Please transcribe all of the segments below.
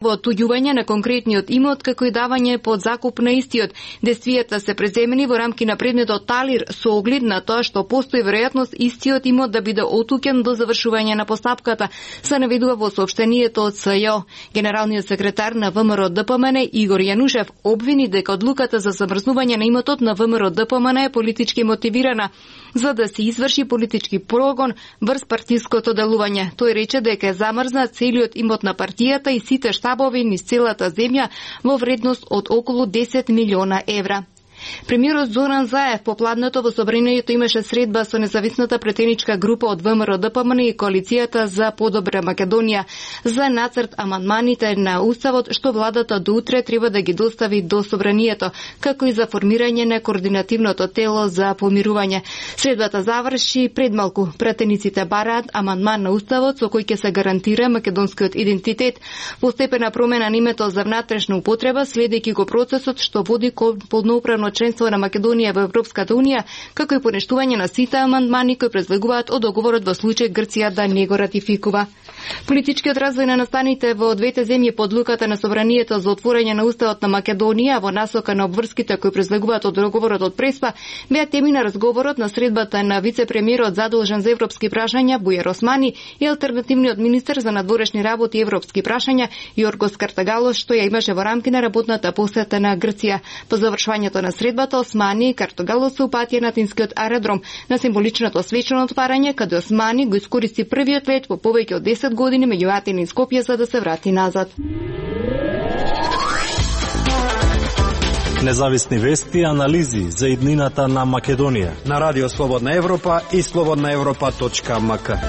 Во отуѓување на конкретниот имот, како и давање под закуп на истиот. Действијата се преземени во рамки на предметот Талир со оглед на тоа што постои веројатност истиот имот да биде отуќен до завршување на постапката, се наведува во соопштението од СЈО. Генералниот секретар на ВМРО-ДПМН Игор Јанушев обвини дека одлуката за замрзнување на имотот на ВМРО-ДПМН е политички мотивирана, за да се изврши политички прогон врз партиското делување. Тој рече дека е замрзнат целиот имот на партијата и сите штабови низ целата земја во вредност од околу 10 милиона евра. Премиерот Зоран Заев попладнато во собранието имаше средба со независната претеничка група од ВМРО-ДПМН и коалицијата за подобра Македонија за нацрт амандманите на уставот што владата до утре треба да ги достави до собранието, како и за формирање на координативното тело за помирување. Средбата заврши пред малку. Претениците бараат амандман на уставот со кој ќе се гарантира македонскиот идентитет, постепена промена на името за внатрешна употреба, следејќи го процесот што води кон полноправно членство на Македонија во Европската унија, како и поништување на сите амандмани кои произлегуваат од договорот во случај Грција да не го ратификува. Политичкиот развој на настаните во двете земји под луката на собранието за отворање на уставот на Македонија во насока на обврските кои произлегуваат од договорот од Преспа беа теми на разговорот на средбата на вице-премиерот задолжен за европски прашања Бујар Османи и алтернативниот министер за надворешни работи и европски прашања Јоргос Картагалос, што ја имаше во рамки на работната посета на Грција. По завршувањето на средбата Османи и Картагалос се упатија на Атинскиот аеродром на символичното свечено отварање, каде Османи го искористи првиот лет по повеќе од 10 години меѓу Атин и Скопје за да се врати назад. Независни вести и анализи за иднината на Македонија на Радио Слободна Европа и slobodnaevropa.mk.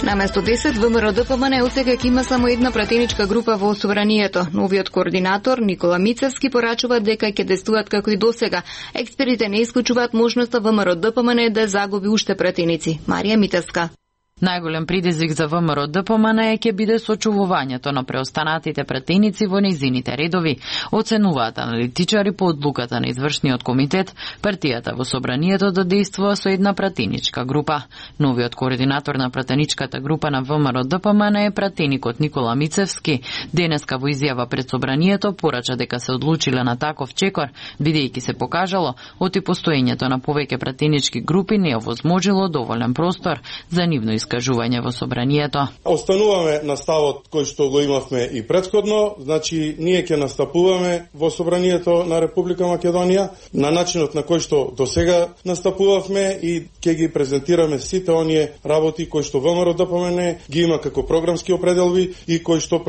Наместо 10, ВМРО-ДПМН отсега ќе има само една пратеничка група во собранието. Новиот координатор Никола Мицевски порачува дека ќе действуваат како и досега. Експертите не исклучуваат можноста ВМРО-ДПМН да загуби уште пратеници. Марија Митевска. Најголем предизвик за ВМРО-ДПМН ќе биде сочувувањето на преостанатите пратеници во нејзините редови, оценуваат аналитичари по одлуката на извршниот комитет, партијата во собранието да действува со една пратеничка група. Новиот координатор на пратеничката група на ВМРО-ДПМН е пратеникот Никола Мицевски. Денеска во изјава пред собранието порача дека се одлучиле на таков чекор, бидејќи се покажало оти постоењето на повеќе пратенички групи не овозможило доволен простор за нивно искажување во собранието. Остануваме на ставот кој што го имавме и претходно, значи ние ќе настапуваме во собранието на Република Македонија на начинот на кој што досега настапувавме и ќе ги презентираме сите оние работи кои што ВМРО-ДПМН ги има како програмски определби и кои што